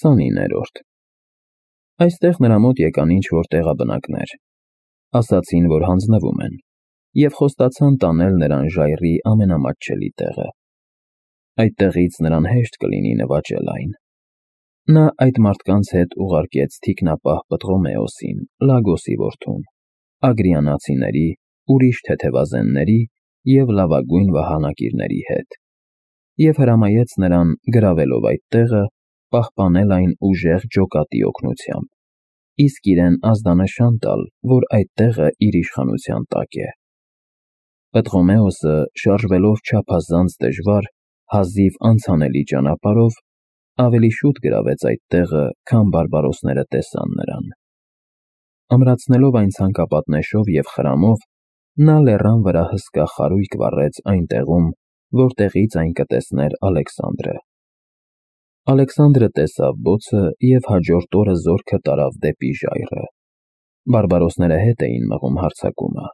29-րդ Այստեղ նրա մոտ եկան ինչ-որ տեղաբնակներ, ասացին, որ հանձնվում են, և խոստացան տանել նրան ժայռի ամենամատչելի տեղը։ Այդտեղից նրան հեշտ կլինի նվաճել այն։ Նա այդ մարդկանց հետ ուղարկեց թիկնապահ Պտղոմեոսին, Լագոսի որդուն, ագրիանացիների, ուրիշ թեթևազենների և լավագույն վահանակիրների հետ, և հրամայեց նրան, գրավելով այդ տեղը, պահպանել այն ուժեղ ջոկատի օգնությամբ, իսկ իրեն ազդանշան տալ, որ այդ տեղը իր իշխանության տակ է։ Պտղոմեոսը, շարժվելով չափազանց դժվար, հազիվ անցանելի ճանապարհով, ավելի շուտ գրավեց այդ տեղը, քան բարբարոսները տեսան նրան։ Ամրացնելով այն ցանկապատնեշով և խրամով, նա լեռան վրա հսկա խարույկ վառեց այն տեղում, որտեղից այն կտեսներ Ալեքսանդրը։ Ալեքսանդրը տեսավ բոցը և հաջորդ օրը զորքը տարավ դեպի ժայռը։ Բարբարոսները հետ էին մղում հարձակումը,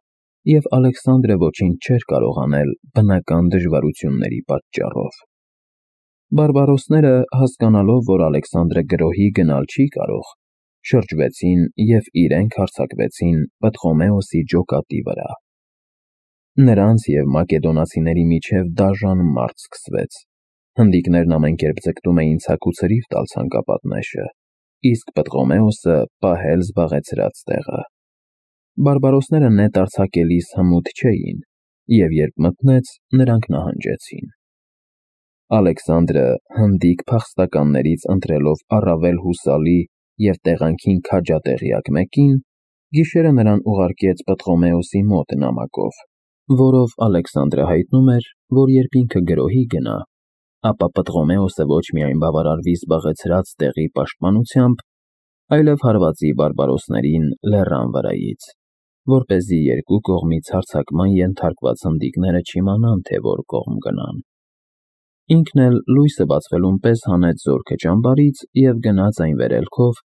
և Ալեքսանդրը ոչինչ չէր կարող անել բնական դժվարությունների պատճառով։ Բարբարոսները, հասկանալով, որ Ալեքսանդրը գրոհի գնալ չի կարող, շրջվեցին և իրենք հարձակվեցին Պտղոմեոսի ջոկատի վրա։ Նրանց և մակեդոնացիների միջև դաժան մարտ սկսվեց։ Հնդիկներն ամենքերբ ձգտում էին ցաքուցրիվ տալ ցանկապատնեշը, իսկ Պտղոմեոսը պահել զբաղեցրած տեղը։ Բարբարոսները նետ արձակելիս հմուտ չէին, և երբ մթնեց, նրանք նահանջեցին։ Ալեքսանդրը, հնդիկ փախստականներից ընտրելով առավել հուսալի և տեղանքին քաջատեղյակ մեկին, գիշերը նրան ուղարկեց Պտղոմեոսի մոտ նամակով, որով Ալեքսանդրը հայտնում էր, որ երբ ինքը գրոհի գնա, ապա Պտղոմեոսը ոչ միայն բավարարվի զբաղեցրած տեղի պաշտպանությամբ, այլև հարվածի բարբարոսներին լեռան վրայից, որպեսզի երկու կողմից հարձակման ենթարկված հնդիկները չիմանան, թե որ կողմ գնան։ Ինքն էլ լույսը բացվելուն պես հանեց զորքը ճամբարից և գնաց այն վերելքով,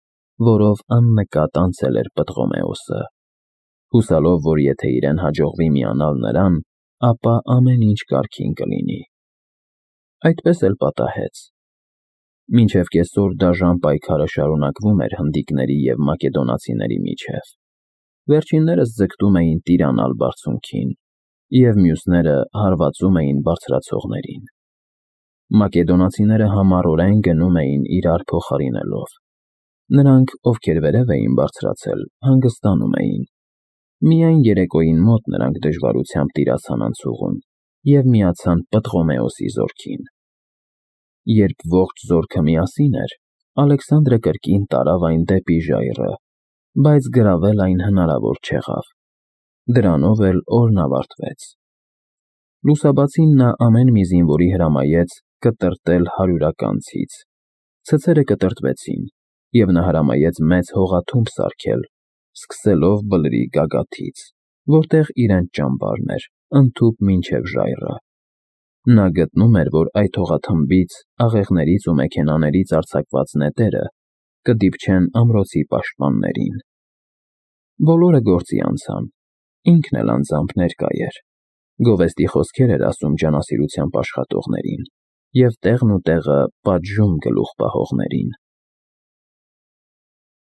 որով աննկատ անցել էր Պտղոմեոսը, հուսալով, որ եթե իրեն հաջողվի միանալ նրան, ապա ամեն ինչ կարգին կլինի։ Այդպես էլ պատահեց։ Մինչև կեսօր դաժան պայքարը շարունակվում էր հնդիկների և մակեդոնացիների միջև։ Վերջիններս ձգտում էին տիրանալ բարձունքին, և մյուսները հարվածում էին բարձրացողներին։ Մակեդոնացիները համառորեն գնում էին իրար փոխարինելով։ Նրանք, ովքեր վերև էին բարձրացել, հանգստանում էին։ Միայն երեկոյին մոտ նրանք դժվարությամբ տիրացան անցուղուն և միացան Պտղոմեոսի զորքին։ Երբ ողջ զորքը միասին էր, Ալեքսանդրը կրկին տարավ այն դեպի ժայռը, բայց գրավել այն հնարավոր չեղավ։ Դրանով էլ օրն ավարտվեց։ Լուսաբացին նա ամեն մի զինվորի հրամայեց կտրտել հարյուրականցից։ Ցցերը կտրտվեցին, և նա հրամայեց մեծ հողաթումբ սարքել, սկսելով Բլրի գագաթից, որտեղ իրենց ճամբարն էր, ընդհուպ մինչև ժայռը։ Նա գտնում էր, որ այդ հողաթմբից, աղեղներից ու մեքենաներից արձակված նետերը կդիպչեն ամրոցի պաշտպաններին։ Բոլորը գործի անցան, ինքն էլ անձամբ ներկա էր, գովեստի խոսքեր էր ասում ջանասիրությամբ աշխատողներին և տեղն ու տեղը պատժում գլուխ պահողներին։